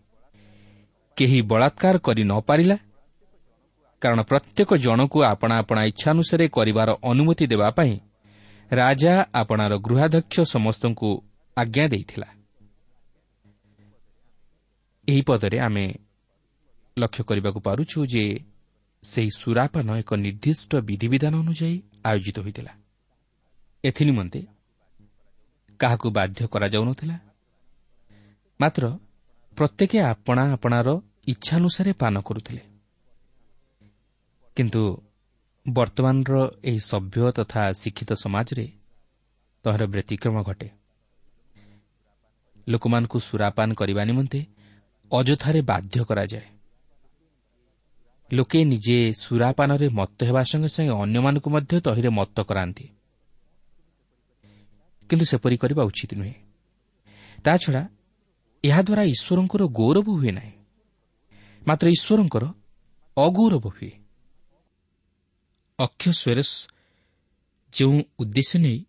କେହି ବଳାତ୍କାର କରି ନ ପାରିଲା, କାରଣ ପ୍ରତ୍ୟେକ ଜଣକୁ ଆପଣା ଆପଣା ଇଚ୍ଛାନୁସାରେ କରିବାର ଅନୁମତି ଦେବା ପାଇଁ ରାଜା ଆପଣାର ଗୃହାଧ୍ୟକ୍ଷ ସମସ୍ତଙ୍କୁ ଆଜ୍ଞା ଦେଇଥିଲା। ଏହି ପଦରେ ଆମେ ଲକ୍ଷ୍ୟ କରିବାକୁ ପାରୁଛୁ ଯେ ସେହି ସୁରାପାନ ଏକ ନିର୍ଦ୍ଦିଷ୍ଟ ବିଧିବିଧାନ ଅନୁଯାୟୀ ଆୟୋଜିତ ହୋଇଥିଲା। ଏଥିନିମନ୍ତେ କାହାକୁ ବାଧ୍ୟ କରାଯାଉନଥିଲା, ମାତ୍ର ପ୍ରତ୍ୟେକ ଆପଣା ଆପଣାର ଇଚ୍ଛାନୁସାରେ ପାନ କରୁଥିଲେ। କିନ୍ତୁ ବର୍ତ୍ତମାନର ଏହି ସଭ୍ୟ ତଥା ଶିକ୍ଷିତ ସମାଜରେ ତହାର ବ୍ୟତିକ୍ରମ ଘଟେ। ଲୋକମାନଙ୍କୁ ସୁରାପାନ କରିବା ନିମନ୍ତେ ଅଯଥାରେ ବାଧ୍ୟ କରାଯାଏ। ଲୋକେ ନିଜେ ସୁରାପାନରେ ମତ୍ତ ହେବା ସଙ୍ଗେ ସଙ୍ଗେ ଅନ୍ୟମାନଙ୍କୁ ମଧ୍ୟ ତହିଁରେ ମତ୍ତ କରାନ୍ତି। କିନ୍ତୁ ସେପରି କରିବା ଉଚିତ ନୁହେଁ। ତାଛଡ଼ା ଏହାଦ୍ୱାରା ଈଶ୍ୱରଙ୍କର ଗୌରବ ହୁଏ ନାହିଁ, ମାତ୍ର ଈଶ୍ୱରଙ୍କର ଅଗୌରବ ହୁଏ। ଅକ୍ଷଶ୍ୱେରସ ଯେଉଁ ଉଦ୍ଦେଶ୍ୟ ନେଇ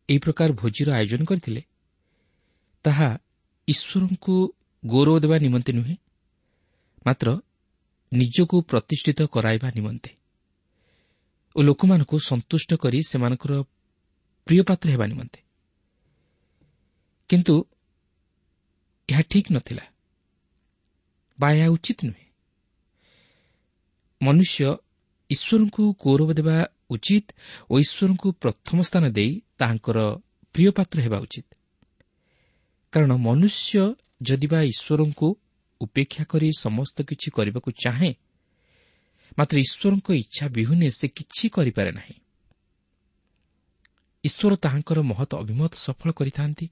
ଏହି ପ୍ରକାର ଭୋଜିର ଆୟୋଜନ କରିଥିଲେ, ତାହା ଈଶ୍ୱରଙ୍କୁ ଗୌରବ ଦେବା ନିମନ୍ତେ ନୁହେଁ, ମାତ୍ର ନିଜକୁ ପ୍ରତିଷ୍ଠିତ କରାଇବା ନିମନ୍ତେ ଓ ଲୋକମାନଙ୍କୁ ସନ୍ତୁଷ୍ଟ କରି ସେମାନଙ୍କର ପ୍ରିୟପାତ୍ର ହେବା ନିମନ୍ତେ। କିନ୍ତୁ ଏହା ଠିକ୍ ନଥିଲା ବା ଏହା ଉଚିତ ନୁହେଁ। ମନୁଷ୍ୟ ଈଶ୍ୱରଙ୍କୁ ଗୌରବ ଦେବା ଉଚିତ ଓ ଈଶ୍ୱରଙ୍କୁ ପ୍ରଥମ ସ୍ଥାନ ଦେଇ ତାହାଙ୍କର ପ୍ରିୟପାତ୍ର ହେବା ଉଚିତ। କାରଣ ମନୁଷ୍ୟ ଯଦି ବା ଈଶ୍ୱରଙ୍କୁ ଉପେକ୍ଷା କରି ସମସ୍ତ କିଛି କରିବାକୁ ଚାହେଁ, ମାତ୍ର ଈଶ୍ୱରଙ୍କ ଇଚ୍ଛା ବିହୁନେ ସେ କିଛି କରିପାରେ ନାହିଁ। ଈଶ୍ୱର ତାହାଙ୍କର ମହତ୍ ଅଭିମତ ସଫଳ କରିଥାନ୍ତି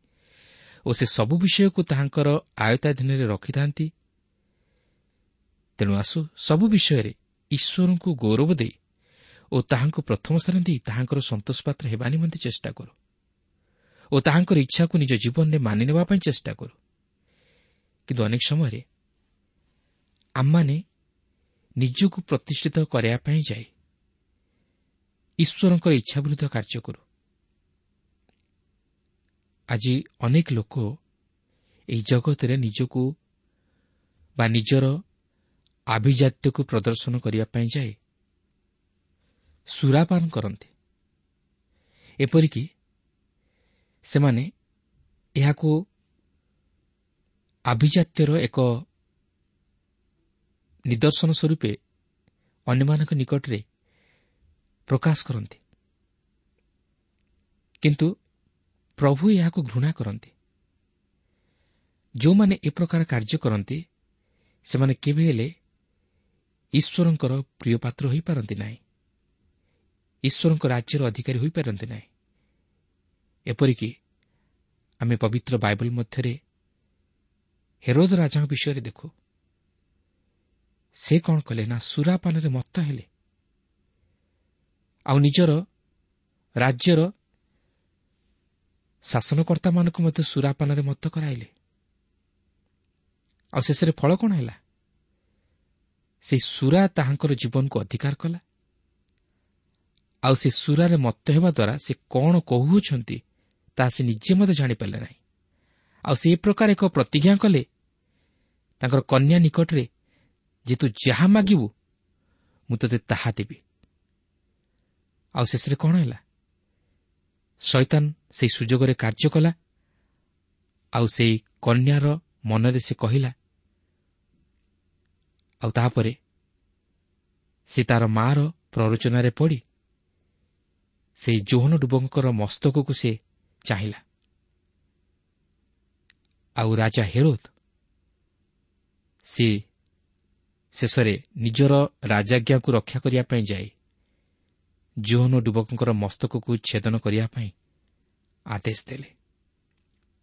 ଓ ସେ ସବୁ ବିଷୟକୁ ତାହାଙ୍କର ଆୟତ୍ତାଧୀନରେ ରଖିଥାନ୍ତି। ତେଣୁ ଆସୁ ସବୁ ବିଷୟରେ ଈଶ୍ୱରଙ୍କୁ ଗୌରବ ଦେଇ ଓ ତାହାଙ୍କୁ ପ୍ରଥମ ସ୍ଥାନ ଦେଇ ତାହାଙ୍କର ସନ୍ତୋଷ ପାତ୍ର ହେବା ନିମନ୍ତେ ଚେଷ୍ଟା କରୁ ଓ ତାହାଙ୍କର ଇଚ୍ଛାକୁ ନିଜ ଜୀବନରେ ମାନି ନେବା ପାଇଁ ଚେଷ୍ଟା କରୁ। କିନ୍ତୁ ଅନେକ ସମୟରେ ଆମମାନେ ନିଜକୁ ପ୍ରତିଷ୍ଠିତ କରିବା ପାଇଁ ଯାଇ ଈଶ୍ୱରଙ୍କର ଇଚ୍ଛା ବିରୁଦ୍ଧ କାର୍ଯ୍ୟ କରୁ। ଆଜି ଅନେକ ଲୋକ ଏହି ଜଗତରେ ନିଜକୁ ବା ନିଜର ଆଭିଜାତ୍ୟକୁ ପ୍ରଦର୍ଶନ କରିବା ପାଇଁ ଯାଇ ସୁରାପାନ କରନ୍ତି। ଏପରିକି ସେମାନେ ଏହାକୁ ଆଭିଜାତ୍ୟର ଏକ ନିଦର୍ଶନ ସ୍ୱରୂପେ ଅନ୍ୟମାନଙ୍କ ନିକଟରେ ପ୍ରକାଶ କରନ୍ତି। କିନ୍ତୁ ପ୍ରଭୁ ଏହାକୁ ଘୃଣା କରନ୍ତି। ଯେଉଁମାନେ ଏ ପ୍ରକାର କାର୍ଯ୍ୟ କରନ୍ତି ସେମାନେ କେବେ ହେଲେ ଈଶ୍ୱରଙ୍କର ପ୍ରିୟ ପାତ୍ର ହୋଇପାରନ୍ତି ନାହିଁ, ଈଶ୍ୱରଙ୍କ ରାଜ୍ୟର ଅଧିକାରୀ ହୋଇପାରନ୍ତି ନାହିଁ। ଏପରିକି ଆମେ ପବିତ୍ର ବାଇବଲ ମଧ୍ୟରେ ହେରୋଦ ରାଜାଙ୍କ ବିଷୟରେ ଦେଖୁ। ସେ କ'ଣ କଲେ ନା ସୁରାପାନରେ ମତ୍ତ ହେଲେ ଆଉ ନିଜର ରାଜ୍ୟର ଶାସନକର୍ତ୍ତାମାନଙ୍କୁ ମଧ୍ୟ ସୁରାପାନରେ ମତ୍ତ କରାଇଲେ। ଆଉ ଶେଷରେ ଫଳ କ'ଣ ହେଲା? ସେ ସୁରା ତାହାଙ୍କର ଜୀବନକୁ ଅଧିକାର କଲା। ଆଉ ସେ ସୁରାରେ ମତ୍ତ ହେବା ଦ୍ୱାରା ସେ କ'ଣ କହୁଅଛନ୍ତି ତାହା ସେ ନିଜେ ମଧ୍ୟ ଜାଣିପାରିଲେ ନାହିଁ। ଆଉ ସେ ଏ ପ୍ରକାର ଏକ ପ୍ରତିଜ୍ଞା କଲେ ତାଙ୍କର କନ୍ୟା ନିକଟରେ ଯେ ତୁ ଯାହା ମାଗିବୁ ମୁଁ ତୋତେ ତାହା ଦେବି। ଆଉ ଶେଷରେ କ'ଣ ହେଲା? ଶୈତାନ ସେହି ସୁଯୋଗରେ କାର୍ଯ୍ୟ କଲା। ଆଉ ସେଇ କନ୍ୟାର ମନରେ ସେ କହିଲା, ଆଉ ତାପରେ ସେ ତାର ମାଆର ପ୍ରରୋଚନାରେ ପଡ଼ି ସେଇ ଯୋହନ ଡୁବଙ୍କର ମସ୍ତକକୁ ସେ ଚାହିଁଲା। ଆଉ ରାଜା ହେରୋଦ ସେ ଶେଷରେ ନିଜର ରାଜାଜ୍ଞାକୁ ରକ୍ଷା କରିବା ପାଇଁ ଯାଇ ଯୋହନ ଡୁବକଙ୍କର ମସ୍ତକକୁ ଛେଦନ କରିବା ପାଇଁ ଆଦେଶ ଦେଲେ।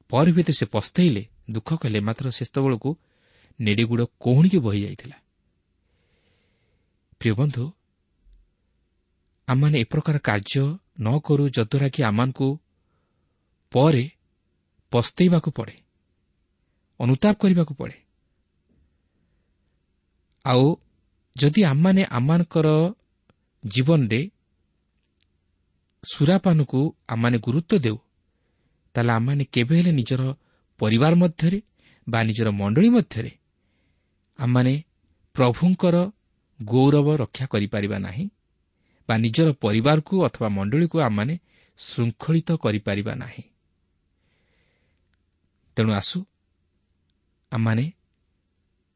ପରେ ହୁଏତ ସେ ପସ୍ତେଇଲେ, ଦୁଃଖ କଲେ, ମାତ୍ର ସେତେବେଳକୁ ନେଡ଼ିଗୁଡ଼ କହୁଣିକି ବହିଯାଇଥିଲା। ପ୍ରିୟ ବନ୍ଧୁ, ଆମମାନେ ଏ ପ୍ରକାର କାର୍ଯ୍ୟ ନ କରୁ ଯଦ୍ୱାରା କି ଆମମାନଙ୍କୁ ପରେ ପସ୍ତେଇବାକୁ ପଡ଼େ, ଅନୁତାପ କରିବାକୁ ପଡ଼େ। ଆଉ ଯଦି ଆମମାନେ ଆମମାନଙ୍କର ଜୀବନରେ ସୁରାପାନକୁ ଆମମାନେ ଗୁରୁତ୍ୱ ଦେଉ, ତାହେଲେ ଆମମାନେ କେବେ ହେଲେ ନିଜର ପରିବାର ମଧ୍ୟରେ ବା ନିଜର ମଣ୍ଡଳୀ ମଧ୍ୟରେ ଆମମାନେ ପ୍ରଭୁଙ୍କର ଗୌରବ ରକ୍ଷା କରିପାରିବା ନାହିଁ ବା ନିଜର ପରିବାରକୁ ଅଥବା ମଣ୍ଡଳୀକୁ ଆମମାନେ ଶୃଙ୍ଖଳିତ କରିପାରିବା ନାହିଁ। ତେଣୁ ଆସୁ ଆମମାନେ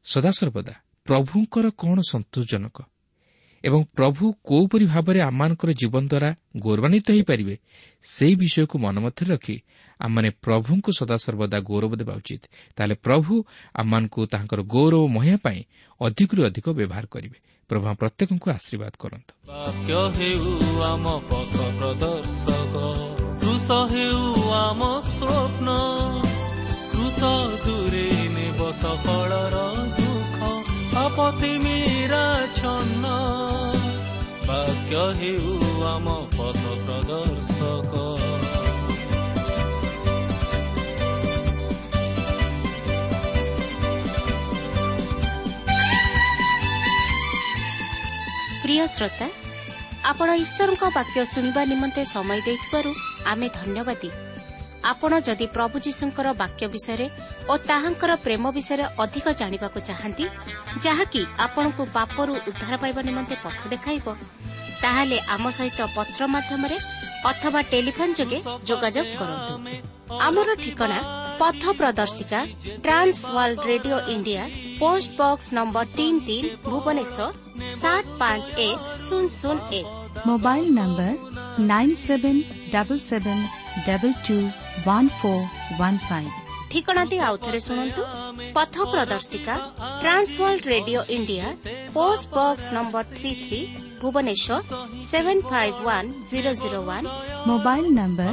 ସଦାସର୍ବଦା ପ୍ରଭୁଙ୍କର କ'ଣ ସନ୍ତୋଷଜନକ ଏବଂ ପ୍ରଭୁ କୋଉପରି ଭାବରେ ଆମମାନଙ୍କର ଜୀବନ ଦ୍ୱାରା ଗୌରବାନ୍ୱିତ ହୋଇପାରିବେ ସେହି ବିଷୟକୁ ମନ ମଧ୍ୟରେ ରଖି ଆମମାନେ ପ୍ରଭୁଙ୍କୁ ସଦାସର୍ବଦା ଗୌରବ ଦେବା ଉଚିତ। ତାହେଲେ ପ୍ରଭୁ ଆମମାନଙ୍କୁ ତାହାଙ୍କର ଗୌରବ ମହିମା ପାଇଁ ଅଧିକରୁ ଅଧିକ ବ୍ୟବହାର କରିବେ। ପ୍ରଭୁ ପ୍ରତ୍ୟେକଙ୍କୁ ଆଶୀର୍ବାଦ କରନ୍ତୁ। ବାକ୍ୟ ହେଉ ଆମ ପଥ ପ୍ରଦର୍ଶକ, କ୍ରୁଶ ହେଉ ଆମ ସ୍ୱପ୍ନ, କ୍ରୁଶ ଦୂରେ ନେବ ସଫଳର ଦୁଃଖ, ଆପତ୍ତି ମୀରା ଛନ୍ନ। ବାକ୍ୟ ହେଉ ଆମ ପଥ ପ୍ରଦର୍ଶକ। ପ୍ରିୟ ଶ୍ରୋତା, ଆପଣ ଈଶ୍ୱରଙ୍କ ବାକ୍ୟ ଶୁଣିବା ନିମନ୍ତେ ସମୟ ଦେଇଥିବାରୁ ଆମେ ଧନ୍ୟବାଦୀ। ଆପଣ ଯଦି ପ୍ରଭୁ ଯୀଶୁଙ୍କର ବାକ୍ୟ ବିଷୟରେ ଓ ତାହାଙ୍କର ପ୍ରେମ ବିଷୟରେ ଅଧିକ ଜାଣିବାକୁ ଚାହାନ୍ତି, ଯାହାକି ଆପଣଙ୍କୁ ପାପରୁ ଉଦ୍ଧାର ପାଇବା ନିମନ୍ତେ ପଥ ଦେଖାଇବ, ତାହେଲେ ଆମ ସହିତ ପତ୍ର ମାଧ୍ୟମରେ ଅଥବା ଟେଲିଫୋନ୍ ଯୋଗେ ଯୋଗାଯୋଗ କରନ୍ତୁ। ଆମର ଠିକଣା ପଥ ପ୍ରଦର୍ଶିକା, Trans World Radio India, post box number 33, Bhubaneswar 751001। Mobile number 9777221415। ଠିକଣାଟି ଆଉଥରେ ଶୁଣନ୍ତୁ। ପଥ ପ୍ରଦର୍ଶିକା, Trans World Radio India, post box number 33, Bhubaneswar 751001। Mobile number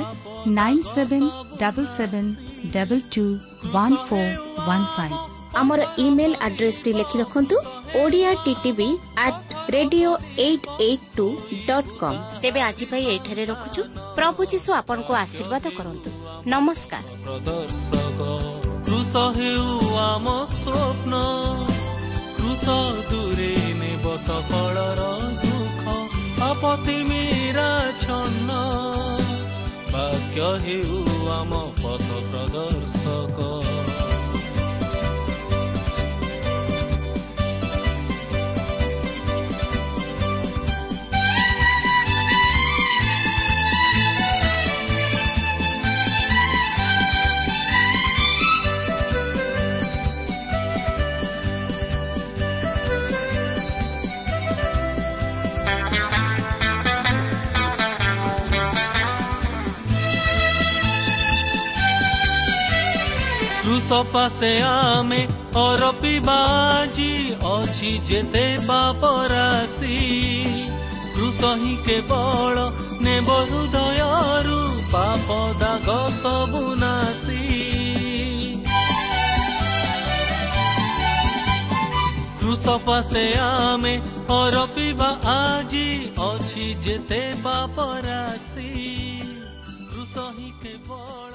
9777221415। ଆମର ଇମେଲ୍ ଆଡ୍ରେସଟି ଲେଖି ରଖନ୍ତୁ, Odia TTV at radio 882.com। ତେବେ ଆଜି ପାଇଁ ଏଇଠାରେ ରଖୁଛୁ। ପ୍ରଭୁ ଯୀଶୁ ଆପଣଙ୍କୁ ଆଶୀର୍ବାଦ କରନ୍ତୁ। ନମସ୍କାର। ପ୍ରଦର୍ଶକ, କ୍ରୁଶ ହେଉ ଆମ ସ୍ୱପ୍ନ, କ୍ରୁଶ ଦୂରେ ନେବ ସଫଳର ଦୁଃଖ, ଆପତ୍ତି ମୀରା ଛନ୍ନ। ବାକ୍ୟ ହେଉ ଆମ ପଥ ପ୍ରଦର୍ଶକ। କ୍ରୁଶ ପାଶେ ଆମେ ଅରପିବାଜି ଅଛି ଯେତେ ପାପ ରାଶି, କ୍ରୁଶ ହିଁ କେବଳ ନେବ ହୃଦୟରୁ ପାପ ଦାଗ ସବୁ ନାଶି। କ୍ରୁଶ ପାଶେ ଆମେ ଅରପିବା ଆଜି ଅଛି ଯେତେ ପାପ ରାଶି, କ୍ରୁଶ ହିଁ କେବଳ